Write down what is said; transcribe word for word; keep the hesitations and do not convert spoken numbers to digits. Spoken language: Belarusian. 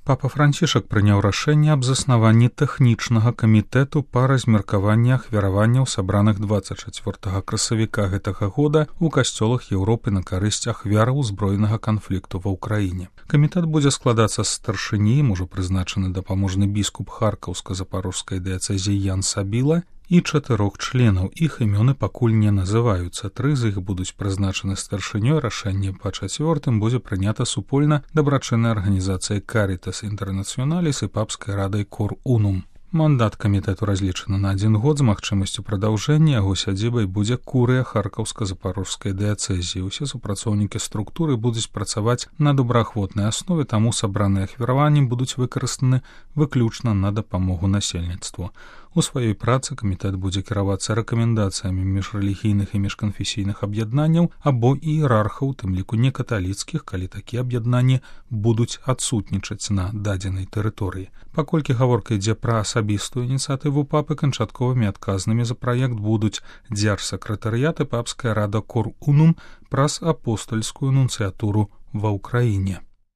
Папа Францішак прыняў рашэнне аб заснаванні тэхнічнага камітэту па размеркаванні ахвяраванняў, сабраных дваццаць чацвёртага красавіка гэтага года ў касцёлах Еўропы на карысць ахвяраў узброенага канфлікту ва ўкраіне. Камітэт будзе складацца з старшыні, ім ужо прызначаны дапаможны біскуп Харкаўска-Запарожскай дыяцэзіі Ян Сабіла, і чатырох членаў. Іх імёны пакуль не называюцца. Тры з іх будуць прызначаны старшынёй, рашэнне па чацвёртым будзе прынята супольна дабрачыннай арганізацыяй Caritas Internationalis і папскай радай Cor Unum. Мандат камітэту разлічаны на адзін год з магчымасцю прадаўжэння, яго сядзібай будзе курыя Харкаўска-Запарожскай дыяцэзіі. Усе супрацоўнікі структуры будуць працаваць на добраахвотнай аснове, таму сабраныя ахвяраванні будуць выкарыстаны выключна на дапамогу насельніцтву. У сваёй працы камітэт будзе кіравацца рэкамендацыямі міжрэлігійных і міжканфесійных аб'яднанняў або іерархаў, тым ліку некаталіцкіх, калі такія аб'яднанні будуць адсутнічаць на дадзенай тэрыторыі. Паколькі гаворка ідзе пра асабістую ініцыятыву папы, канчатковымі адказнымі за праект будуць дзяржсакратарыят і папская рада Cor Unum праз апостальскую нунцыятуру ва ўкраіне.